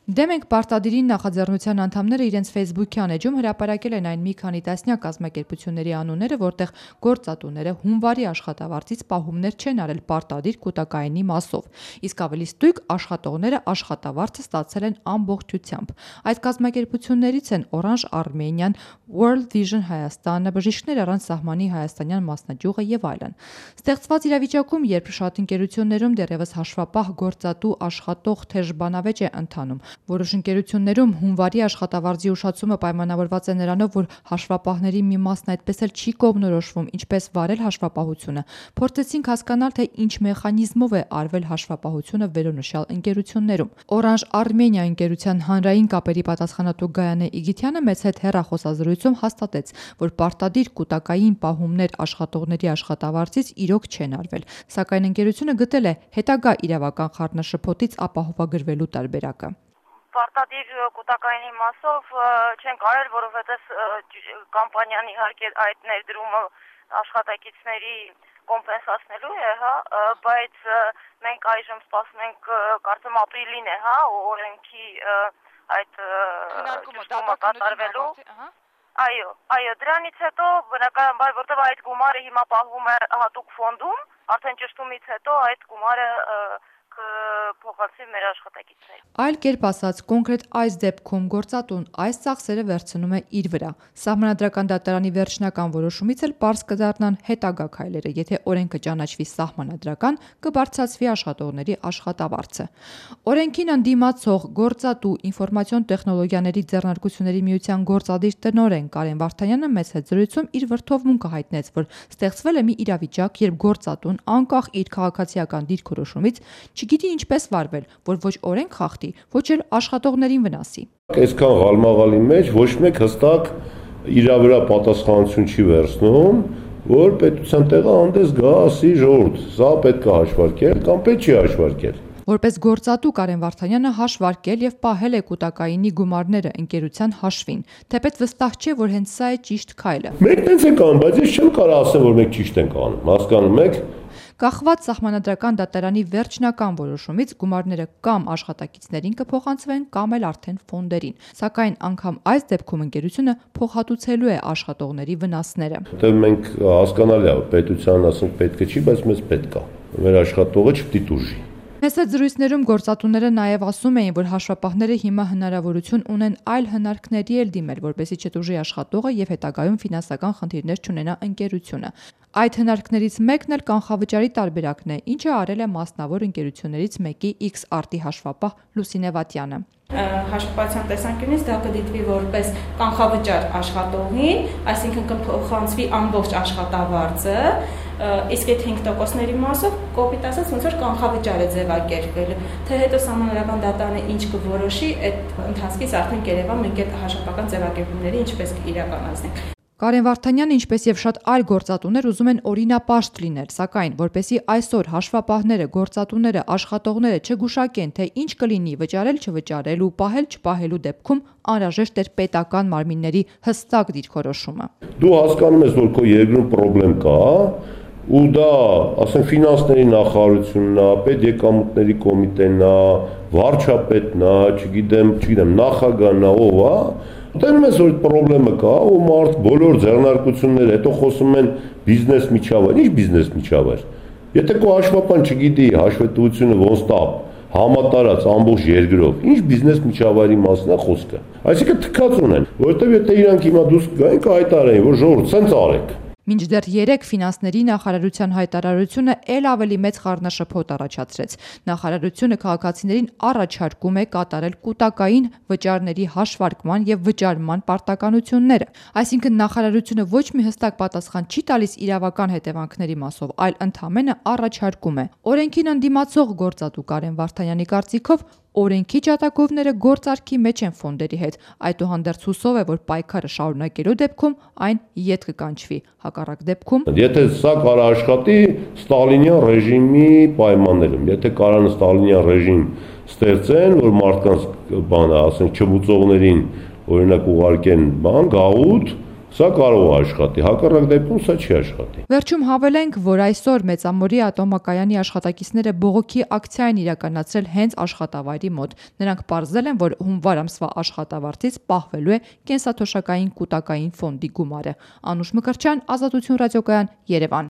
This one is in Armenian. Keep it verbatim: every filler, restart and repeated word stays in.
Դեմ ենք պարտադիրին նախաձեռնության անդամները իրենց Facebook-յան էջում հրապարակել են այն մի քանի տասնյակ կազմակերպությունների անունները, որտեղ գործատուները հունվարի աշխատավարձից պահումներ չեն արել պարտադիր կուտակայինի մասով, իսկ ավելի ստույգ աշխատողները աշխատավարձը ստացել են ամբողջությամբ։ Այդ կազմակերպություններից են Orange Armenian, World Vision Հայաստանը, Բժիշկներ առանց սահմանի հայաստանյան մասնաճյուղը եւ այլն։ Ստեղծված իրավիճակում, երբ շատ ընկերություններում դեռևս հաշվապահ գործատու աշխատող թեժ բանավեճ է ընթանում, որոշ ընկերություններում հունվարի աշխատավարձի ուշացումը պայմանավորված է նրանով, որ հաշվապահների մի մասն այդպես էլ չի կողմնորոշվում, ինչպես վարել հաշվապահությունը, փորձեցինք հասկանալ, թե ինչ մեխանիզմով է արվել հաշվապահությունը վերոնշյալ ընկերություններում։ Orange Armenia ընկերության հանրային կապերի պատասխանատու Գայանե Իգիթյանը մեծ հետ հեռախոսազրույցում հաստատեց, որ պարտադիր կուտակային պահումներ աշխատողների աշխատավարձից իրոք չեն արվել, սակայն ընկերությունը գտել է հետագա իրավական խառնաշփոթից ապահովագրվելու տարբերակը։ Պարտադիր կուտակայինի մասով չեն կարել, որովհետև կամպանիան իհարկե այդ ներդրումը աշխատակիցների կոմպենսացնելու է, հա, բայց մենք այժմ սպասում ենք, կարծեմ ապրիլին է, հա, օրենքի այդ ճշտումը կատարվելու։ Այո, այո, դրանից հետո բնականաբար, որտեղ այդ գումարը հիմա պահվում է հատուկ ֆոնդում, արդեն ճշտումից հետո այդ գումարը փոխանցի մեր աշխատակիցներին։ Այլ կերպ ասած, կոնկրետ այս դեպքում գործատուն այս ծախսերը վերցնում է իր վրա։ Սահմանադրական դատարանի վերջնական որոշումից էլ պարզ կդառնան հետագա քայլերը, եթե օրենքը ճանաչվի սահմանադրական, կբարձրացվի աշխատողների աշխատավարձը։ Օրենքին ընդդիմացող գործատու ինֆորմացիոն տեխնոլոգիաների ձեռնարկությունների միության գործադիր տնօրեն Կարեն Վարդանյանը մեծ հետ զրույցում իր վրդովմունքը հայտնեց, որ ստեղծվել է մի իրավիճակ, երբ գործատուն անկախ իր քաղաքացիական դիրքորոշումից չգիտի ինչպես վարվել, որ ոչ օրենք խախտի, ոչ էլ աշխատողներին վնասի։ Այսքան ղալմաղալի մեջ ոչ մեկ հստակ իր վրա պատասխանատվություն չի վերցնում, որ պետության տեղը հանդես գա, ասի ժողովուրդ, սա պետք է հաշվարկել կամ պետք չի հաշվարկել։ Որպես գործատու Կարեն Վարդանյանը հաշվարկել եւ պահել է կուտակայինի գումարները ընկերության հաշվին, թեպետ վստահ չէ, որ հենց սա է ճիշտ քայլը։ Մենք տենց ենք անում, բայց ես չեմ կարող ասել, որ մենք ճիշտ ենք անում, հասկանում եք։ Կախված սահմանադրական դատարանի վերջնական որոշումից գումարները կամ աշխատակիցներին կփոխանցվեն կամ էլ արդեն ֆոնդերին, սակայն անգամ այս դեպքում ընկերությունը փոխհատուցելու է աշխատողների վնասները։ Դե մենք հասկանալի է, պետության ասենք պետք է չի, բայց մեզ պետք է։ Մեր աշխատողը չպետք է դուրժի։ Մեծ զրույցներում գործատուները նաև ասում էին, որ հաշվապահները հիմա հնարավորություն ունեն այլ հնարքների էլ դիմել, որպեսզի չտուժի աշխատողը եւ հետագայում ֆինանսական խնդիրներ չունենա ընկերությունը։ Այդ հնարքներից մեկն էլ կանխավճարի տարբերակն է, ինչը արել է մասնավոր ընկերություններից մեկի X-Art-ի հաշվապահ Լուսինե Վատյանը։ Հաշվապահության տեսանկյունից դա կդիտվի որպես կանխավճար աշխատողին, այսինքն կփոխանցվի ամբողջ աշխատավարձը, իսկ այդ հինգ տոկոսների մասով կոպիտ ասած ոնց որ կանխավճար է ձևակերպվել, թե հետո սահմանադրական դատարանը ինչ կորոշի, այդ ընթացքից արդեն կերևա մենք այդ հաշվապահական ձևակերպումները ինչպես կիրականացնենք։ Կարեն Վարդանյանը, ինչպես եւ շատ այլ գործատուներ ուզում են օրինապաշտ լինել, սակայն որպեսզի այսօր հաշվապահները, գործատուները, աշխատողները չգուշակեն, թե ինչ կլինի վճարել, չվճարել ու պահել, չպահելու դեպքում անհրաժեշտ է պետական մարմինների հստակ դիրքորոշումը։ Դու հասկանում ես, որ քո երկրում խնդրեմ կա, ու դա, ասենք, ֆինանսների նախարարությունն է, պետեկամուտների կոմիտեն է, վարչապետն է, չգիտեմ, չգիտեմ, նախագահն է, ով է, դեռ մեզ որ խնդրեմը կա, ու մարդ բոլոր ձեռնարկությունները հետո խոսում են բիզնես միջավայր, ի՞նչ բիզնես միջավայր։ Եթե քո հաշվապահն չգիտի հաշվետվությունը ոնց տա համատարած ամբողջ երկրով, ի՞նչ բիզնես միջավայրի մասն է խոսքը։ Այսինքն թքած ունեն, որովհետև եթե իրանք հիմա դուրս գային կհայտարարեն, որ ժողովուրդ սենց արեք։ Մինչդեռ երեք ֆինանսների նախարարության հայտարարությունը ել ավելի մեծ խառնաշփոթ առաջացրեց։ Նախարարությունը քաղաքացիներին առաջարկում է կատարել կուտակային վճարների հաշվարկման եւ վճարման պարտականությունները։ Այսինքն նախարարությունը ոչ մի հստակ պատասխան չի տալիս իրավական հետևանքների մասով, այլ ընդհանրապես առաջարկում է։ Օրենքին ընդդիմացող գործատու Կարեն Վարդանյանի կարծիքով օրենքի ջատագովները գործարքի մեջ են ֆոնդերի հետ, այդուհանդերձ հուսով է, որ պայքարը շարունակելու դեպքում այն ետ կկանչվի, հակառակ դեպքում եթե սա կարա աշխատի ստալինյան ռեժիմի պայմաններում, եթե կարան ստալինյան ռեժիմ ստեղծեն, որ մարդկանց բանը, ասենք, չմուծողներին օրինակ ուղարկեն բան, գաղութ, Սա կարող է աշխատի, հակառակ դեպքում սա չի աշխատի։ Վերջում հավելենք, որ այսօր Մեծամորի ատոմակայանի աշխատակիցները բողոքի ակցիա են իրականացրել հենց աշխատավայրի մոտ։ Նրանք պարզել են, որ հունվար ամսվա աշխատավարձից պահվելու է կենսաթոշակային կուտակային ֆոնդի գումարը։ Անուշ Մկրտչյան, Ազատություն ռադիոկայան, Երևան։